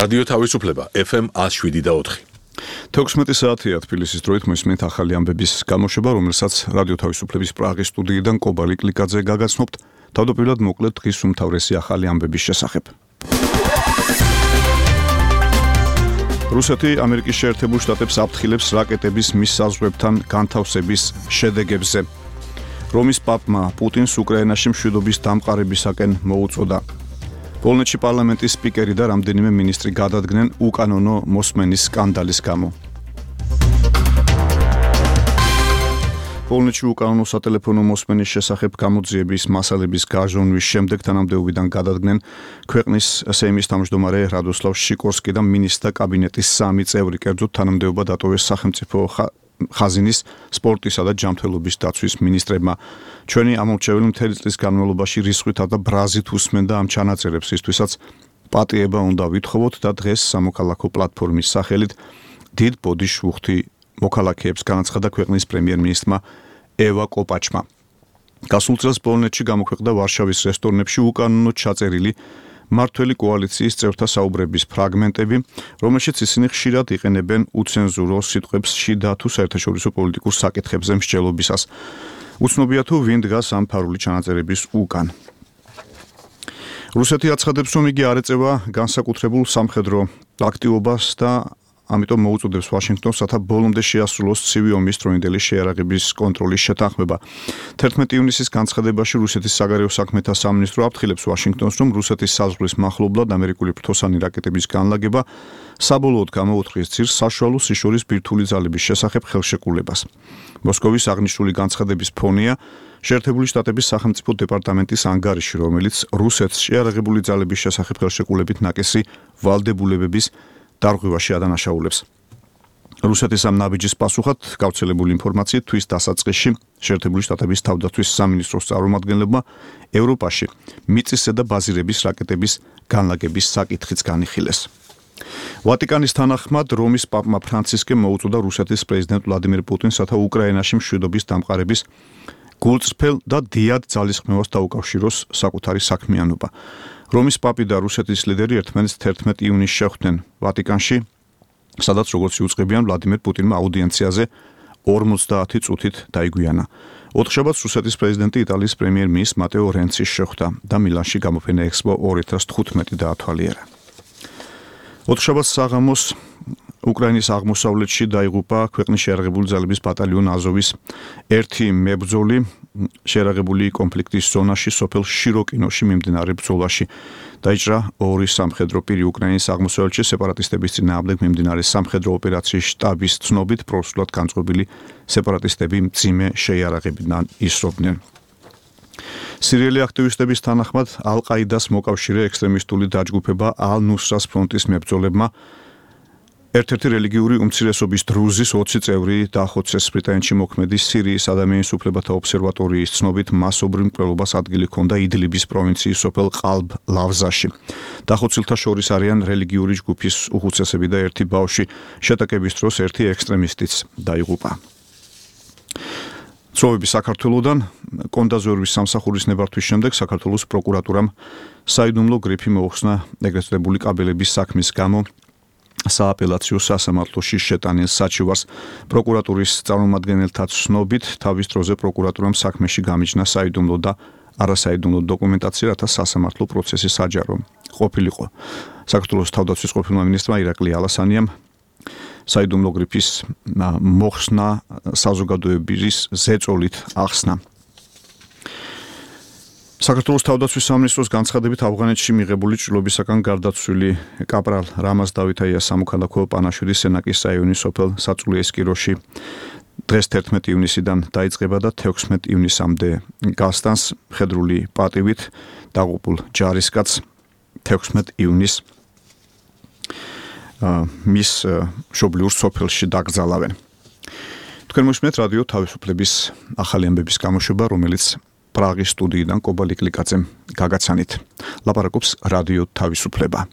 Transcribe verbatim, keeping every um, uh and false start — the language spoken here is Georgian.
რადიო თავისუფლება ეფ ემ ათს შვიდი და ოთხი. თექვსმეტი საათია თბილისის დროით მოისმენთ ახალი ამბების გამოშვება, რომელსაც რადიო თავისუფლების პრაღის სტუდიიდან კობალი კლიკაძე გაგაცნობთ. თავდაპირველად მოკლედ დღის უმთავრესი ახალი ამბების შესახებ. რუსეთი ამერიკის შეერთებულ შტატებს აფრთხილებს რაკეტების მის საზღვრებთან განთავსების შედეგებზე. რომის პაპმა პუტინს უკრაინაში მშვიდობის დამყარებისაკენ მოუწოდა. პოლონეთში პარლამენტის სპიკერი და რამდენიმე მინისტრი გადადგნენ უკანონო მოსმენის სკანდალის გამო. პოლონეთში უკანონო სატელეფონო მოსმენის შესახებ გამოძიების მასალების გაჟონვის შემდეგ თანამდებობიდან გადადგნენ ქვეყნის სეიმის თავმჯდომარე რადოსლავ შიკორსკი და მინისტრთა კაბინეტის სამი წევრი, კერძოდ თანამდებობა დატოვეს სახელმწიფო ხაზინის, სპორტისა და ჯანმრთელობის დაცვის მინისტრებმა. ჩვენი ამომრჩეველი მთელი წლის განმავლობაში რისხვითა და ბრაზით უსმენდა ამ ჩანაწერებს, ისთვისაც პატიება უნდა ვითხოვოთ და დღეს სამოქალაქო პლატფორმის სახელით დიდ ბოდიშ უხდი მოქალაქეებს განაცხადა ქვეყნის პრემიერ-მინისტრმა ევა კოპაჩმა. გასულ წელს პოლონეთში გამოქვეყნდა ვარშავის რესტორნებში უკანონოდ ჩაწერილი მმართველი კოალიციის წევრთა საუბრების ფრაგმენტები, რომელშიც ისინი ხშირად იყენებენ უცენზურო სიტყვებს შიდა თუ საერთაშორისო პოლიტიკურ საკითხებზე მსჯელობისას. უცნობია თუ ვინ დგას ამ ფარული ჩანაწერების უკან. რუსეთი აცხადებს, რომ იგი არ ეწევა განსაკუთრებულ სამხედრო აქტივობას და ამიტომ მოუწოდებს ვაშინგტონს, რათა ბოლომდე შეასრულოს ცივი ომის დროინდელი შეიარაღების კონტროლის შეთანხმება. თერთმეტი ივნისის განცხადებაში რუსეთის საგარეო საქმეთა სამინისტრო აფრთხილებს ვაშინგტონს, რომ რუსეთის საზღვრის მახლობლად ამერიკული ფრთოსანი რაკეტების განლაგება საბოლოოდ გამოუთხრის ძირს საშუალო სიშორის ბირთვული ძალების შესახებ ხელშეკრულებას. მოსკოვის აღნიშნული განცხადების ფონია შეერთებული შტატების სახელმწიფო დეპარტამენტის ანგარიში, რომელიც რუსეთს შეიარაღებული ძალების შესახებ ხელშეკრულებით ნაკისი ვალდებულებების დარღვევაში ადანაშაულებს. რუსეთის ამ ნაბიჯის პასუხად გავრცელებული ინფორმაციით თვის დასაწყისში შეერთებული შტატების თავდაცვის სამინისტროს წარმომადგენლებმა ევროპაში მიწისზედა ბაზირების რაკეტების განლაგების საკითხიც განიხილეს. ვატიკანის თანახმად რომის პაპმა ფრანცისკემ მოუწოდა რუსეთის პრეზიდენტ ვლადიმერ პუტინს, რათა უკრაინაში მშვიდობის დამყარების გულწრფელ და დიად ძალისხმევას დაუკავშიროს საკუთარი საქმიანობა. რომის პაპი და რუსეთის ლიდერი ერთმანეთს თერთმეტი ივნისს შეხვდნენ ვატიკანში, სადაც როგორც იუწყებიან ვლადიმერ პუტინმა აუდიენციაზე ორმოცდაათი წუთით დაიგვიანა. ოთხშაბათს რუსეთის პრეზიდენტი იტალიის პრემიერ-მინისტრ მატეო რენცის შეხვდა და მილანში გამოფენა ექსპო ორი ათას თხუთმეტი დაათვალიერა. ოთხშაბათს საღამოს უკრაინის აღმოსავლეთში დაიღუპა ქვეყნის შეიარაღებული ძალების ბატალიონ აზოვის ერთი მებრძოლი შეიარაღებული კონფლიქტის ზონაში სოფელ შიროკინოში მიმდინარე ბრძოლაში. დაიჭრა ორი სამხედრო პირი. უკრაინის აღმოსავლეთში სეპარატისტების წინააღმდეგ მიმდინარე სამხედრო ოპერაციის შტაბის ცნობით პროსულად განწყობილი სეპარატისტები მძიმე შეიარაღებიდან ისრობდნენ. სირიელი აქტივისტების თანახმად ალ-ყაიდას მოკავშირე ექსტრემისტული დაჯგუფება ალ-ნუსრას ფრონტის მებრძოლებმა ერთ-ერთი რელიგიური უმცირესობის დრუზის ოცი წევრი დაახოცეს. ბრიტანეთში მოქმედი სირიის ადამიანის უფლებათა ობსერვატორიის ცნობით მასობრივ მკვლელობას ადგილი ჰქონდა იდლიბის პროვინციის სოფელ ყალბ ლავზაში. დახოცილთა შორის არიან რელიგიური ჯგუფის უხუცესები და ერთი ბავშვი. შეტაკების დროს ერთი ექსტრემისტიც დაიღუპა. ცნობები საქართველოდან კონდაზორვის სამსახურის ნებართვის შემდეგ საქართველოს პროკურატურამ საიდუმლო გრიფი მოუხსნა ეგრეთ წოდებული კაბელების საქმის გამო სააპელაციო სასამართლოში შეტანილ საჩივარს. პროკურატურის წარმომადგენელთა ცნობით თავის დროზე პროკურატურამ საქმეში გამიჯნა საიდუმლო და არასაიდუმლო დოკუმენტაცია, რათა სასამართლო პროცესი საჯარო ყოფილიყო. საქართველოს თავდაცვის ყოფილმა მინისტრმა ირაკლი ალასანიამ საიდუმლო გრიფის მოხსნა საზოგადოების ზეწოლით ახსნა. საქართველოს თავდაცვის სამინისტროს განცხადებით ავღანეთში მიღებული ჭრილობისაგან გარდაცვლილი კაპრალ რამაზ დავითაიას სამოქალაქო პანაშვიდის სენაკის რაიონის სოფელ საწულიესკიროში დღეს თერთმეტი ივნისიდან დაიწყება და თექვსმეტი ივნისამდე გასტანს. მხედრული პატივით დაღუპულ ჯარისკაცს თექვსმეტი ივნისს მის მშობლიურ სოფელში დაკრძალავენ. თქვენ მოისმენთ რადიო თავისუფლების ახალი ამბების გამოშვება, რომელიც პრაღის სტუდიიდან კობალი კლიკაძემ გაგაცანით. ლაპარაკობს რადიო თავისუფლება.